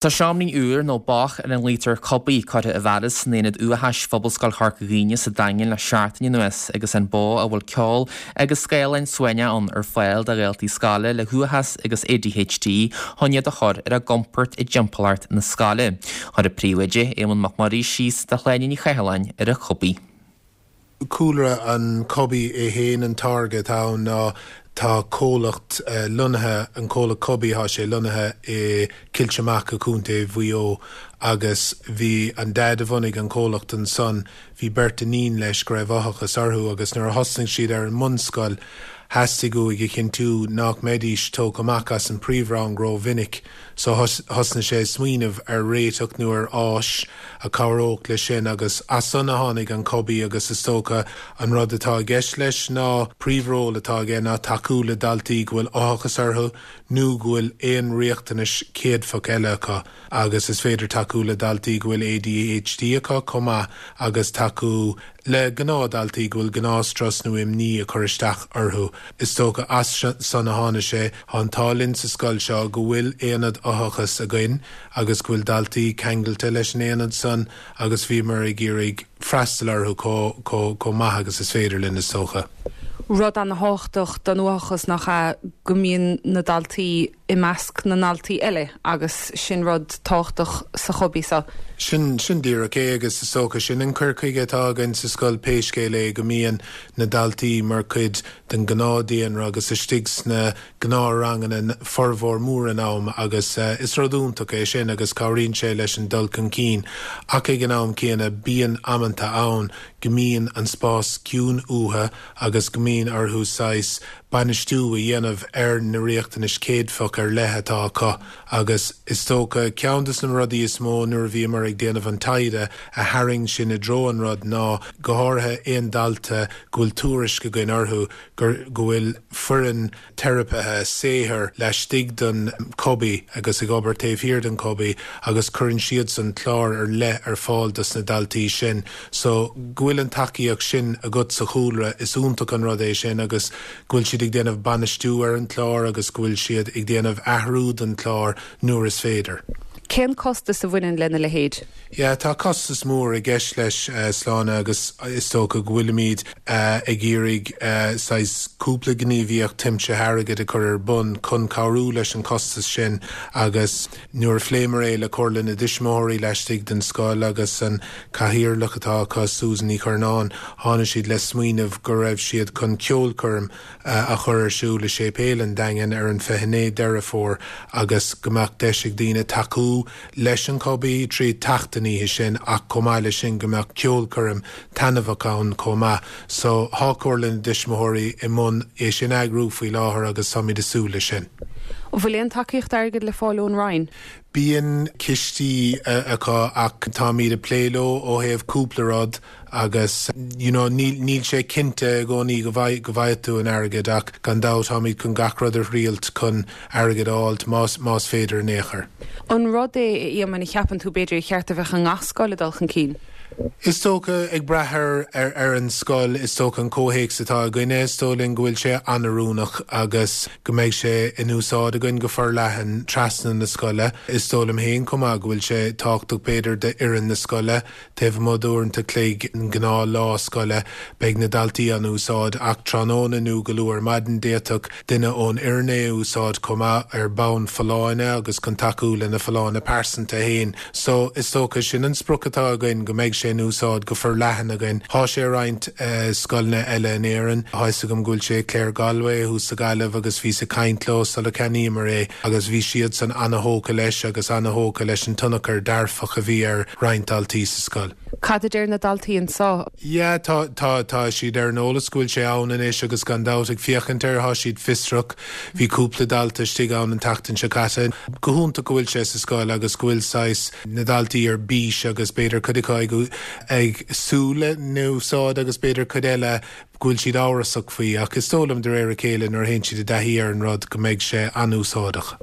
Tá seoimrín úr, nó bác ar a nglaoitear 'Cubaí', curtha i bhfearas in Aonad Uathachais Phobalscoil Chorca Dhuibhne sa Daingean le seachtain anuas agus an bó a bhfuil ceol agus scáileáin suaimhneach ann ar fáil do dhaltaí scoile le huathachas agus ADHD chun iad a chur ar a gcompord i dtimpeallacht na scoile. Chuir an Príomhoide, Éamonn Mac Muirí, síos do Shláine Ní Chathalláin ar an Chubaí. Cúlra an Cubaí é fhéin, an táirge atá ann ná tá comhlacht lonnaithe, an comhlacht Cubaí, tá sé lonnaithe i Cill Macha, Contae Mhaigh Eo agus bhí an daid a bhunaigh an comhlacht ansan, bhí beirt iníon leis go raibh uathachas orthu agus nuair a thosnaigh siad ar an mbunscoil theastaigh uaidh a chinntiú nách mbeidís tógtha amach as an príomhrang ró-mhinic so thosnaigh sé ag smaoineamh ar réiteach nó ar áis a chabhródh leis sin agus as san a tháinig an Cubaí agus is dócha an rud atá i gceist leis ná príomhról atá aige ná tacú le daltaí go bhfuil uathachas orthu nó go bhfuil aon riachtanais chéadfach eile acu agus is féidir tacú le daltaí go bhfuil ADHD acu chomh maith agus tacú le gnáthdhaltaí go bhfuil gnáthstrus nó imní ag cur isteach orthu. Is dócha as san a tháinig sé. Tá an t-ádh linn sa scoil seo go bhfuil aonad uathachais againn agus go bhfuil daltaí ceangailte leis an aonad san agus bhíomar ag iarraidh freastal orthu chomh maith agus is féidir linn, is dócha. Rud ana-thábhachtach don uathachas nach ea go mbíonn na daltaí i measc na ndaltaí eile agus sin rud tábhachtach sa Chubaí seo. Sin, sin díreach é agus is dócha sin an cur chuige atá againn sa scoil pé scéal é go mbíonn na daltaí mar chuid den ghnáth-daonra agus istigh sna gnáth-ranganna formhór mór an am agus is rud iontach é sin agus cabhraíonn sé leis an dul chun cinn ach ag an am céanna bíonn amanta ann go mbíonn an spás ciúin uathu agus go mbíonn orthu saghas bainistiú a dhéanamh ar na riachtanais chéadfach ar leith atá acu agus is dócha ceann de na rudaí is mó nuair a bhíomar ag déanamh an taighde a tharraing sinn i dtreo an rud ná go háirithe aon dalta go bhfuil tuairisc againn orthu gur go bhfuil foireann teiripithe saothair laistigh den Cubaí agus ag obair taobh thiar den Cubaí agus cuireann siadsan clár ar leith ar fáil dos na daltaí sin. So, go bhfuil an tacaíocht sin agat sa chúlra, is iontach an rud é sin agus go bhfuil siad ag déanamh bainistiú ar an chlár agus go bhfuil siad ag déanamh athrú don chlár nuair is féidir. Cén costas a bhaineann lena leithéid? Yeah, tá costas mór i gceist leis, Sláine, agus is dócha go bhfuilimid ag iarraidh saghas cúpla gníomhaíocht tiomsaithe airgid a chur ar bun chun cabhrú leis an chostas sin agus nuair a phléamar é le Comhairle na dTuismitheoirí laistigh den scoil agus an cathaoirleach atá acu, Susan Ní Churnáin, tháinig siad le smaoineamh go raibh siad chun ceolchoirm a chur ar siúl i Séipéal an Daingin ar an 29 Deireadh Fómhair agus go mbeadh deis ag daoine tacú leis an Cubaí trí theacht an oíche sin ach chomh maith leis sin go mbeadh ceolchoirm taitneamhach ann chomh maith. So, thá Comhairle na dTuismitheoirí i mbun é sin a eagrú faoi láthair agus táimid ag súil leis sin. An bhfuil aon tacaíocht airgid le fáil ón Roinn? Bíonn cistí acu ach táimid ag plé leo ó thaobh cúpla rud agus you know níl níl sé cinnte i gcónaí go bhfaigh go bhfaighidh tú an airgead ach gan dabht táimid chun gach rud a thriailt chun airgead a fháilt más más féidir in aon chor. An rud é, a Éamoinn, a cheapann tú b'fhéidir ar cheart a bheith i ngach scoil ag dul chun cinn? Is dócha, ag brath ar ar an scoil, is dócha an comhthéacs atá againne, is dóigh linn go bhfuil sé an-oiriúnach agus go mbeidh sé in úsáid againn go forleathan trasna na scoile. Is dóigh liom féin chomh maith go bhfuil sé tábhachtach b'fhéidir d'fhoireann na scoile Taobh amuigh d'uaireanta chloig an gnáth lá scoile, beidh na daltaí á n-úsáid ach tráthnóna nó go luath ar maidin d'fhéadfadh duine ón fhoireann é a úsáid chomh maith ar bhonn folláine agus chun tacú lena folláine pearsanta féin. So, is dócha sin an sprioc atá againn, go mbeidh sé in úsáid go forleathan againn. Thá sé i roinnt scoileanna eile in Éirinn. Thá fhios agam go bhfuil sé i Claregalway thuas sa Ghaillimh agus bhíos ag caint leo sula ceannaíomar é agus bhí siadsan ana-thógtha leis agus ana-thógtha leis an tionchar dearfach a bhí air roinnt daltaí sa scoil. Cad a deir na daltaí anseo? Yeah, tá, tá, tá siad ar an eolas go bhfuil sé ann anois agus gan dabht ag féachaint air, thá siad fiosrach. Bhí cúpla dalta istigh ann an tseachtain seo caite. Go hiontach go bhfuil sé sa scoil agus go bhfuil saghas na daltaí ar bís agus b'fhéidir cuid acu ag, ag súil lena úsáid agus b'fhéidir cuid eile go bhfuil siad amhrasach faoi ach is dóigh liom de réir a chéile nuair a théann siad i dtaithí ar an rud go mbeidh sé an-úsáideach.